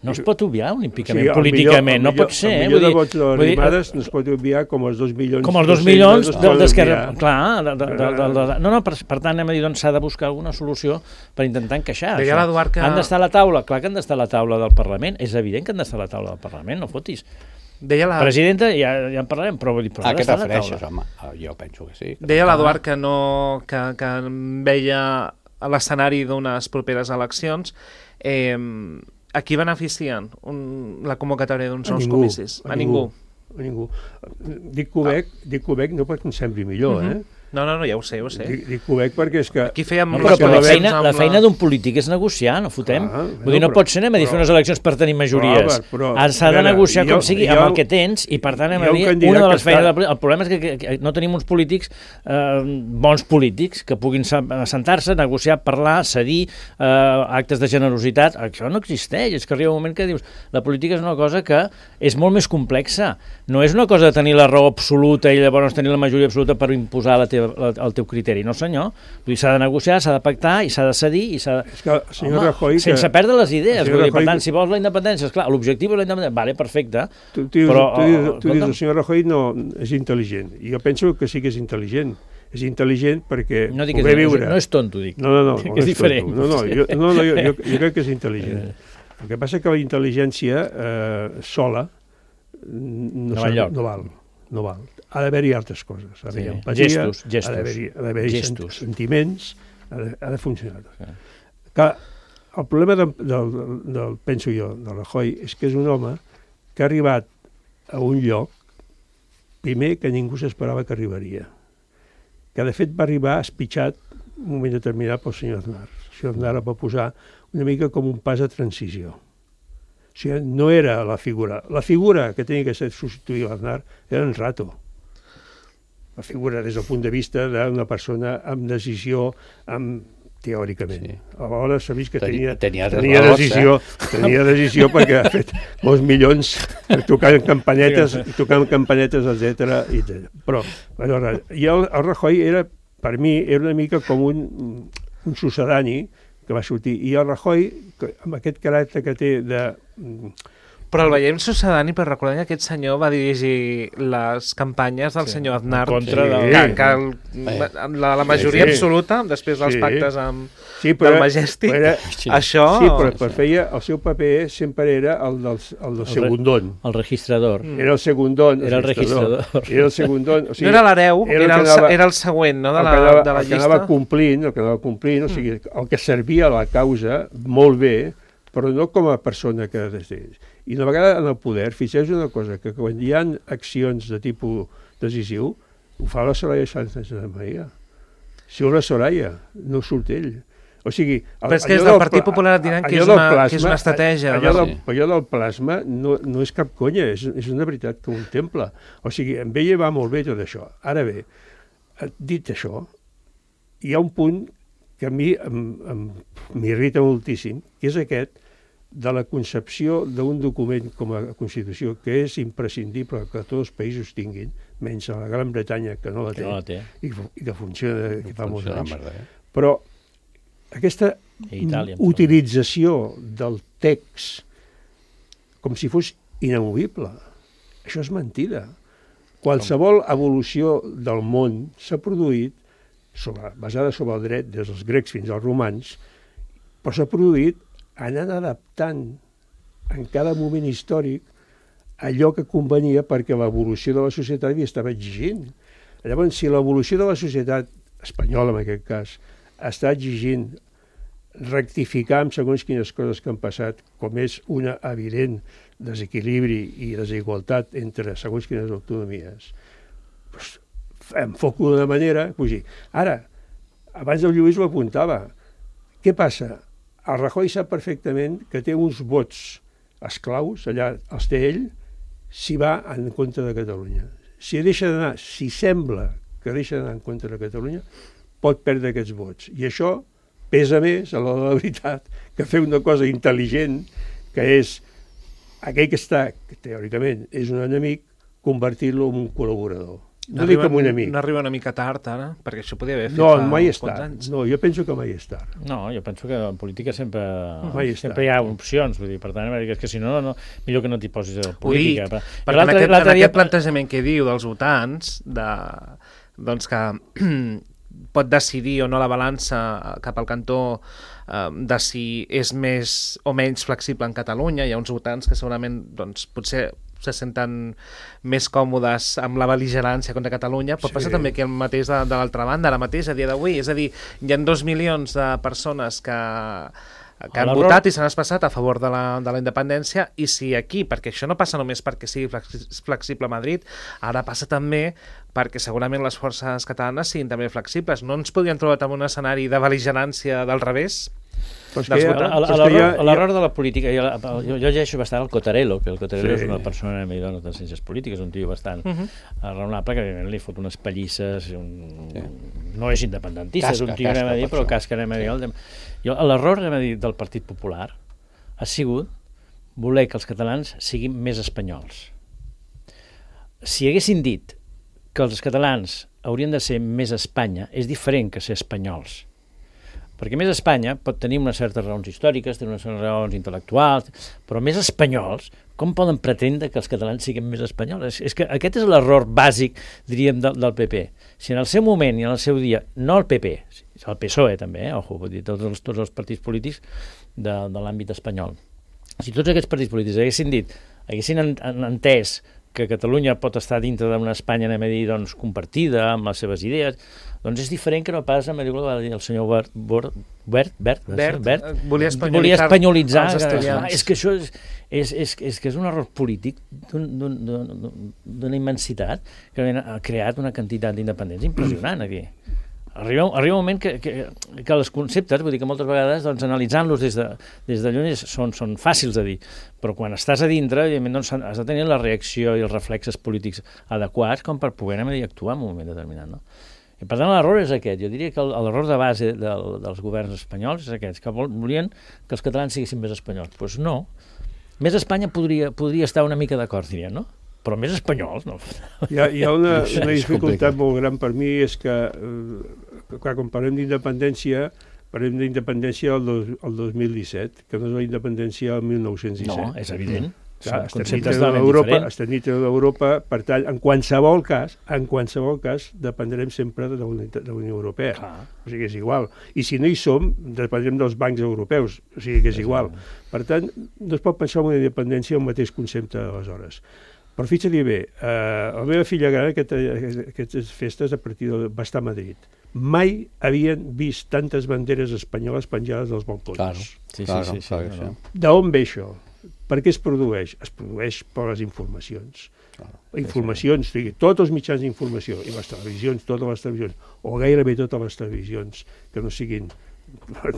No es pot obviar olímpicament, sí, políticament, millor, no pot ser. El millor de vots de l'arrimades no es pot obviar com els dos milions... Com els dos milions d'Esquerra... Clar, de, de, de, de, de, no, no, per, per tant, anem a dir, doncs s'ha de buscar alguna solució per intentar encaixar. Deia l'Eduard que... Han d'estar a la taula, clar que han d'estar a la taula del Parlament, és evident que han d'estar a la taula del Parlament, no fotis. Deia la... Presidenta, ja, ja en parlarem, però vull dir... Però a què t'afereixes, home? Jo penso que sí. Que deia l'Eduard que, no, que, que veia l'escenari d'unes properes eleccions. Eh, a qui beneficien un, la convocatòria d'uns nous comicis? A, a ningú. A ningú. Dic Quebec, ah. dic Quebec no perquè em sembli millor, uh-huh. eh? No, no, no, ja ho sé, ja ho sé. Dic, dic Quebec perquè és que... Aquí fèiem... No, però, però la feina, la feina d'un polític és negociar, no fotem? Ah, Vull dir, no però, pot ser anem a dir fer unes eleccions per tenir majories. S'ha de negociar com sigui, jo, amb el que tens, i per tant anem a dir, una de les feines... Està... El problema és que, que, que no tenim uns polítics, eh, bons polítics, que puguin sentar-se, negociar, parlar, cedir, eh, actes de generositat. Això no existeix, és que arriba un moment que dius, la política és una cosa que és molt més complexa. No és una cosa de tenir la raó absoluta i llavors tenir la majoria absoluta per imposar la teva el teu criteri, no senyor. Vull dir, s'ha de negociar, s'ha de pactar i s'ha de cedir i s'ha de... És que el senyor Home, Rajoy... Sense que... perdre les idees. Vull dir, per tant, que... si vols la independència, esclar, l'objectiu és la independència. Vale, perfecte. Tu, tu, però... Tu, tu, tu dius, el senyor Rajoy no és intel·ligent. I jo penso que sí que és intel·ligent. És intel·ligent perquè no dic poder és, viure... No és tonto, dic. No, no, no. Que no és diferent. No, no, jo, no, no jo, jo, jo crec que és intel·ligent. El que passa és que la intel·ligència eh, sola no, no, val no val. No val. Ha d'haver-hi altres coses. Ha d'haver-hi sí. empatia, gestos, gestos. ha d'haver-hi ha d'haver gestos. sentiments, ha de, ha de funcionar. Sí. Que el problema de, del, del, penso jo, del Rajoy, és que és un home que ha arribat a un lloc, primer, que ningú s'esperava que arribaria. Que, de fet, va arribar espitxat un moment determinat pel senyor Aznar. El senyor Aznar va posar una mica com un pas de transició. O sigui, no era la figura. La figura que tenia que ser substituir l'Aznar era en Rato. La figura des del punt de vista d'una persona amb decisió, amb, teòricament. Sí. Alhora s'ha vist que tenia, tenia, tenia, decisió, eh? tenia decisió perquè ha fet molts milions tocant campanetes, tocant campanetes, etcètera. Però, aleshores, i el, el Rajoy era, per mi, era una mica com un, un sucedani que va sortir. I el Rajoy, amb aquest caràcter que té de... Però el veiem sucedani, però recordem que aquest senyor va dirigir les campanyes del sí, senyor Aznar contra sí, del... que, que la, la, la majoria sí, absoluta, després dels sí, pactes amb sí, però, del Majestic, era, sí, això... Sí, però, però feia, el seu paper sempre era el del, el del segundón. El registrador. Era el segundón. Era el registrador. Era el segundón. O sigui, no era l'hereu, era, era, el, era el següent, no?, de la, anava, de la el llista. El que anava complint, el que anava complint, o sigui, el que servia a la causa molt bé, però no com a persona que decideix. I una vegada en el poder, fixeu una cosa, que quan hi ha accions de tipus decisiu, ho fa la Soraya Sánchez de Maria. Si ho la Soraya, no surt ell. O sigui... El, però és que des del Partit Popular et diran que és, una, plasma, que és una estratègia. Allò, del, allò del plasma no, no és cap conya, és, és una veritat que ho contempla. O sigui, amb ella va molt bé tot això. Ara bé, dit això, hi ha un punt que a mi m'irrita moltíssim, que és aquest de la concepció d'un document com a Constitució, que és imprescindible que tots els països tinguin, menys a la Gran Bretanya, que no la té, no la té. I, i que funciona que fa molts anys. Eh? Però aquesta Itàlia, utilització del text com si fos inamovible, això és mentida. Qualsevol evolució del món s'ha produït sobre, basada sobre el dret, des dels grecs fins als romans, però s'ha produït anant adaptant en cada moment històric allò que convenia perquè l'evolució de la societat hi estava exigint. Llavors, si l'evolució de la societat espanyola, en aquest cas, està exigint rectificar amb segons quines coses que han passat, com és una evident desequilibri i desigualtat entre segons quines autonomies, doncs, enfoco d'una manera... Pues, ara, abans el Lluís ho apuntava, què passa? El Rajoy sap perfectament que té uns vots esclaus, allà els té ell, si va en contra de Catalunya. Si deixa d'anar, si sembla que deixa d'anar en contra de Catalunya, pot perdre aquests vots. I això pesa més, a l'hora de la veritat, que fer una cosa intel·ligent, que és aquell que està, que teòricament és un enemic, convertir-lo en un col·laborador. No, no dic com un amic. No arriba una mica tard, ara? Perquè això podria haver fet no, fa mai uns quants anys. No, jo penso que mai és tard. No, jo penso que en política sempre, mai sempre hi ha opcions, vull dir, per tant, és que si no, no millor que no t'hi posis a política. Dic, perquè en aquest, en aquest plantejament que diu dels votants, de, doncs que pot decidir o no la balança cap al cantó eh, de si és més o menys flexible en Catalunya. Hi ha uns votants que segurament doncs, potser se senten més còmodes amb la bel·ligerància contra Catalunya, pot sí. passar també que el mateix de, de l'altra banda, ara mateix, a dia d'avui. És a dir, hi ha dos milions de persones que, que han votat i s'han expressat a favor de la, de la independència, i si aquí, perquè això no passa només perquè sigui flexible a Madrid, ara passa també perquè segurament les forces catalanes siguin també flexibles. No ens podríem trobar en un escenari de bel·ligerància del revés? L'error de la política, jo, jo, jo llegeixo bastant el Cottarello, que el Cottarello sí. és una persona no de ciències polítiques, un tio bastant uh -huh. raonable, que evidentment li fot unes pallisses, un... sí. no és independentista, casca, és un tio, casca, anem a dir, però casca, anem a dir. El... L'error, anem a dir, del Partit Popular ha sigut voler que els catalans siguin més espanyols. Si haguessin dit que els catalans haurien de ser més Espanya, és diferent que ser espanyols. Perquè més Espanya pot tenir unes certes raons històriques, tenir unes certes raons intel·lectuals, però més espanyols, com poden pretendre que els catalans siguin més espanyols? És, és que aquest és l'error bàsic, diríem, del, del P P. Si en el seu moment i en el seu dia, no el P P, el P S O E també, eh, ojo, vull dir, tots els, tots els partits polítics de, de l'àmbit espanyol, si tots aquests partits polítics haguessin dit, haguessin en, en, entès que Catalunya pot estar dintre d'una Espanya, anem a dir, doncs, compartida, amb les seves idees, doncs és diferent que no pas, em diu, va dir el senyor Bert, Bert, Bert, Bert, Bert, Bert volia espanyolitzar, volia espanyolitzar els estudiants. És que això és, és, és, és, que és un error polític d'una immensitat que ha creat una quantitat d'independents impressionant aquí. Arriba, arriba un moment que, que, que els conceptes, vull dir que moltes vegades doncs, analitzant-los des de, des de lluny són, són fàcils de dir, però quan estàs a dintre evidentment doncs, has de tenir la reacció i els reflexes polítics adequats com per poder dir, actuar en un moment determinat. No? I per tant l'error és aquest, jo diria que l'error de base del, dels governs espanyols és aquest, que volien que els catalans siguessin més espanyols. Doncs pues no, més Espanya podria, podria estar una mica d'acord, diria, no? Però més espanyols, no? Hi ha, hi ha una, una dificultat molt gran per mi, és que, eh, clar, quan parlem d'independència, parlem d'independència el, dos, el dos mil disset, que no és la independència del mil nou-cents disset. No, és evident. Clar, estem dintre d'Europa, per tant, en qualsevol cas, en qualsevol cas, dependrem sempre de la Unió Europea. Clar. O sigui que és igual. I si no hi som, dependrem dels bancs europeus. O sigui que és igual. Per tant, no es pot pensar en una independència el mateix concepte d'aleshores. Però fixa-li bé, eh, la meva filla gran aquest, aquestes festes a partir de, va estar a Madrid. Mai havien vist tantes banderes espanyoles penjades dels balcons. Claro, sí, claro, sí, sí, sí, sí, sí. D'on ve això? Per què es produeix? Es produeix per les informacions. Claro, informacions, sí, sí. Tots els mitjans d'informació, i les televisions, totes les televisions, o gairebé totes les televisions, que no siguin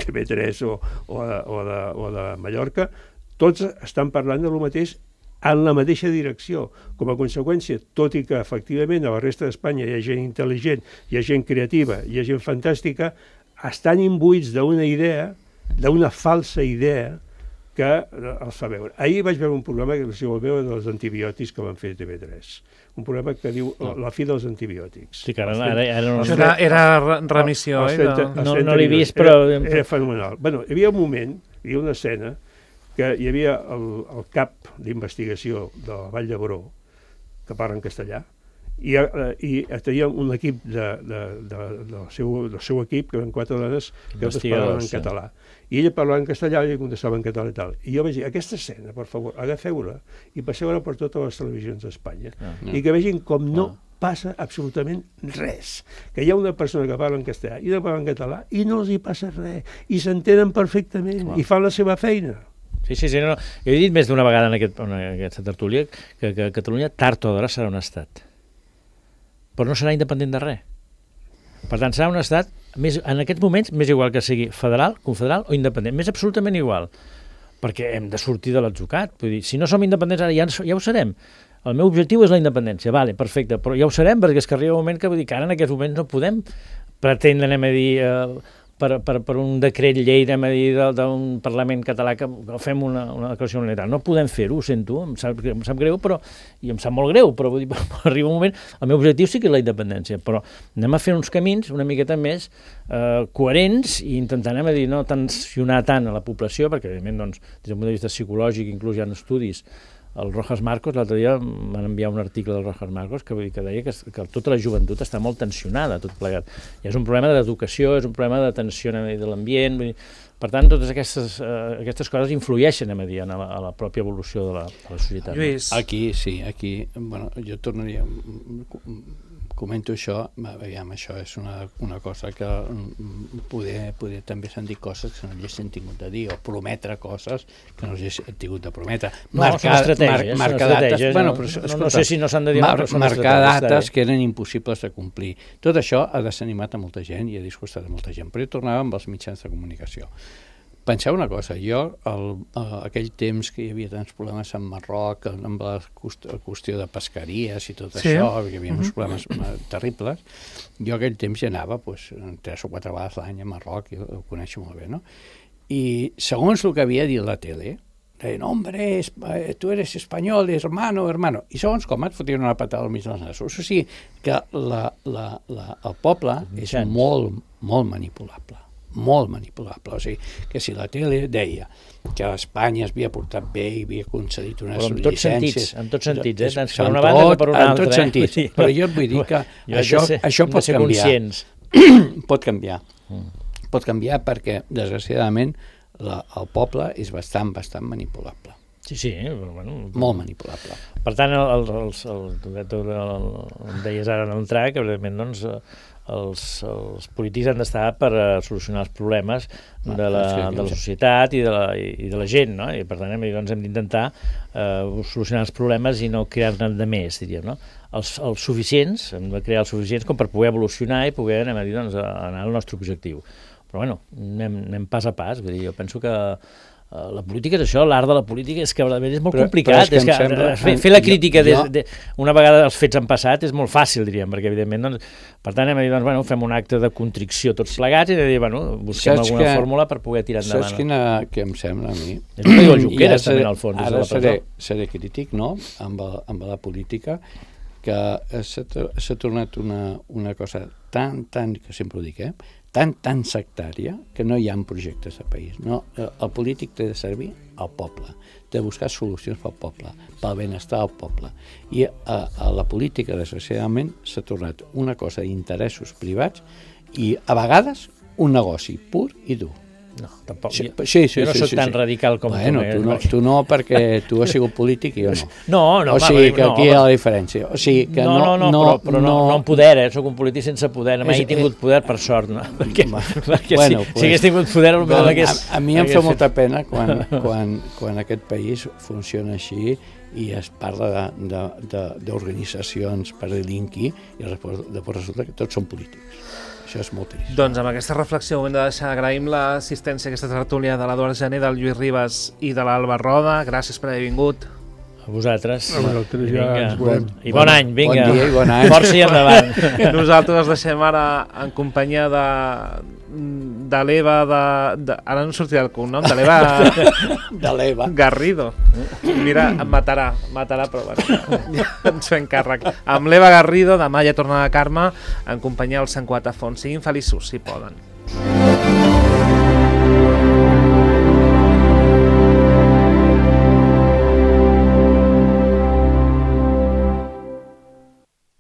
T V tres o, o, de, o, de, o de Mallorca, tots estan parlant de lo mateix en la mateixa direcció. Com a conseqüència, tot i que efectivament a la resta d'Espanya hi ha gent intel·ligent, hi ha gent creativa, hi ha gent fantàstica, estan imbuïts d'una idea, d'una falsa idea, que els fa veure. Ahir vaig veure un programa que si vol veure dels antibiòtics que van fer T V tres. Un programa que diu no. La fi dels antibiòtics. Sí, que ara, ara, ara no... Era, era remissió, els, eh? els trenta, no no l'he vist, però... Era, era fenomenal. Bueno, hi havia un moment, hi havia una escena, que hi havia el, el cap d'investigació de la Vall d'Hebron, que parla en castellà, i, eh, i tenia un equip de, de, de, del, seu, del seu equip, que eren quatre dones que parlaven en català. I ella parlava en castellà i ella contestava en català i tal. I jo vaig dir, aquesta escena, per favor, agafeu-la i passeu-la per totes les televisions d'Espanya. Ah, no. I que vegin com no ah. passa absolutament res. Que hi ha una persona que parla en castellà i una que parla en català i no els hi passa res. I s'entenen perfectament ah. i fan la seva feina. Sí, sí, sí. No, no. Jo he dit més d'una vegada en, aquest, en aquesta tertúlia que, que Catalunya tard o d'hora serà un estat. Però no serà independent de res. Per tant, serà un estat, més, en aquests moments, més igual que sigui federal, confederal o independent. Més absolutament igual. Perquè hem de sortir de l'atzucat. Vull dir, si no som independents ara, ja, ja ho serem. El meu objectiu és la independència. Vale, perfecte, però ja ho serem perquè és que arriba un moment que, vull dir, que ara en aquests moments no podem pretendre, anem a dir... Eh, Per, per, per un decret llei de d'un Parlament català que fem una, una declaració unilateral. No podem fer-ho, ho sento, em sap, em sap greu, però, i em sap molt greu, però, vull dir, però arriba un moment, el meu objectiu sí que és la independència, però anem a fer uns camins una miqueta més eh, coherents i intentar, anem a dir, no tensionar tant a la població, perquè, evidentment, doncs, des del punt de vista psicològic, inclús hi ha estudis. El Rojas Marcos, l'altre dia m'han enviat un article del Rojas Marcos que, que deia que, que tota la joventut està molt tensionada, tot plegat. I és un problema d'educació, és un problema de tensió de l'ambient. Per tant, totes aquestes, uh, aquestes coses influeixen, a dir, a la, a la pròpia evolució de la, de la societat. Lluís. Aquí, sí, aquí, bueno, jo tornaria... Comento això, aviam, això és una, una cosa que poder, poder també s'han dit coses que no haguessin tingut de dir, o prometre coses que no haguessin tingut de prometre. No, marcar, són estratègies. Mar, marcar són estratègies. Dates, Bueno, però, però, no, escolta, no sé si no s'han de dir, mar, però són marcar dates estratègies. que eren impossibles de complir. Tot això ha desanimat a molta gent i ha disgustat a molta gent. Però jo tornava amb els mitjans de comunicació. Penseu una cosa, jo, el, el, aquell temps que hi havia tants problemes en Marroc, amb la qüestió de pesqueries i tot sí. això, hi havia uns problemes terribles, jo aquell temps hi anava pues, tres o quatre vegades l'any a Marroc, i ho coneixo molt bé, no? I segons el que havia dit la tele, deien, hombre, tu eres espanyol, hermano, hermano, i segons com et fotien una patada al mig dels nassos. O sigui que la, la, la, el poble és molt, molt manipulable. molt manipulable, o sigui, que si la tele deia que Espanya es havia portat bé i havia concedit unes però en tots llicències... Sentits, en tots sentits, eh? Tant per una banda com per una altra. En tots sentits, eh? Però jo et vull dir que això, ser, això pot canviar. Conscients. pot canviar. Mm. Pot canviar perquè, desgraciadament, la, el poble és bastant, bastant manipulable. Sí, sí, però, bueno... Molt manipulable. Per tant, el, el, el, el, el, el, el deies ara en entrar, que evidentment, doncs, els, els polítics han d'estar per uh, solucionar els problemes de la, de la societat i de la, i de la gent, no? I per tant, hem, doncs, hem d'intentar uh, solucionar els problemes i no crear-ne de més, diríem, no? Els, els suficients, hem de crear els suficients com per poder evolucionar i poder, anem a dir, doncs, anar al nostre objectiu. Però, bueno, anem, anem pas a pas, vull dir, jo penso que Uh, la política és això, l'art de la política és que és molt però, complicat, però és que, és que sembla... fer, fer la crítica jo, de, de, una vegada els fets han passat és molt fàcil, diríem, perquè evidentment, doncs, per tant, hem de dir, doncs, bueno, fem un acte de contricció tots plegats i de dir, bueno, busquem saps alguna que, fórmula per poder tirar endavant. Saps quina que em sembla a mi? És el que diu el Junqueras, també, al fons. Ara seré, seré crític, no?, amb, el, amb la política, que s'ha tornat una, una cosa tan, tan, que sempre ho dic, eh?, tan, tan sectària que no hi ha projectes de país. No, el polític té de servir al poble, té de buscar solucions pel poble, pel benestar del poble. I a, a la política, desgraciadament, s'ha tornat una cosa d'interessos privats i, a vegades, un negoci pur i dur. No, tampoc. Sí, sí, sí, jo no sí, soc sí, tan sí. radical com bueno, tu. Tu no, tu no, perquè tu has sigut polític i jo no. No, no. O sigui, que no, aquí hi ha la diferència. O sigui, que no, no, no, no, però, però no, no amb poder, eh? Soc un polític sense poder. Mai he tingut poder, per sort, no? Perquè, perquè bueno, si, pues, si hagués tingut poder, potser hagués... A, a mi em fa molta pena quan, quan, quan aquest país funciona així i es parla d'organitzacions per delinquir i després resulta que tots són polítics. Això és molt trist. Doncs amb aquesta reflexió ho hem de deixar. Agraïm l'assistència a aquesta tertúlia de l'Eduard Gené, del Lluís Ribas i de l'Alba Roda. Gràcies per haver vingut. A A vosaltres. A vosaltres ja ens veurem. I bon any, vinga. Bon dia i bon any. Força i endavant. Nosaltres els deixem ara en companyia de, de l'Eva, de, de, ara no em sortirà el cognom, de l'Eva De l'Eva. Garrido. Mira, em matarà, matarà, però bueno, ja ens fem càrrec. Amb l'Eva Garrido, demà ja torna a Carme, en companyia del Sant Quatre Fons. Siguin feliços, si poden.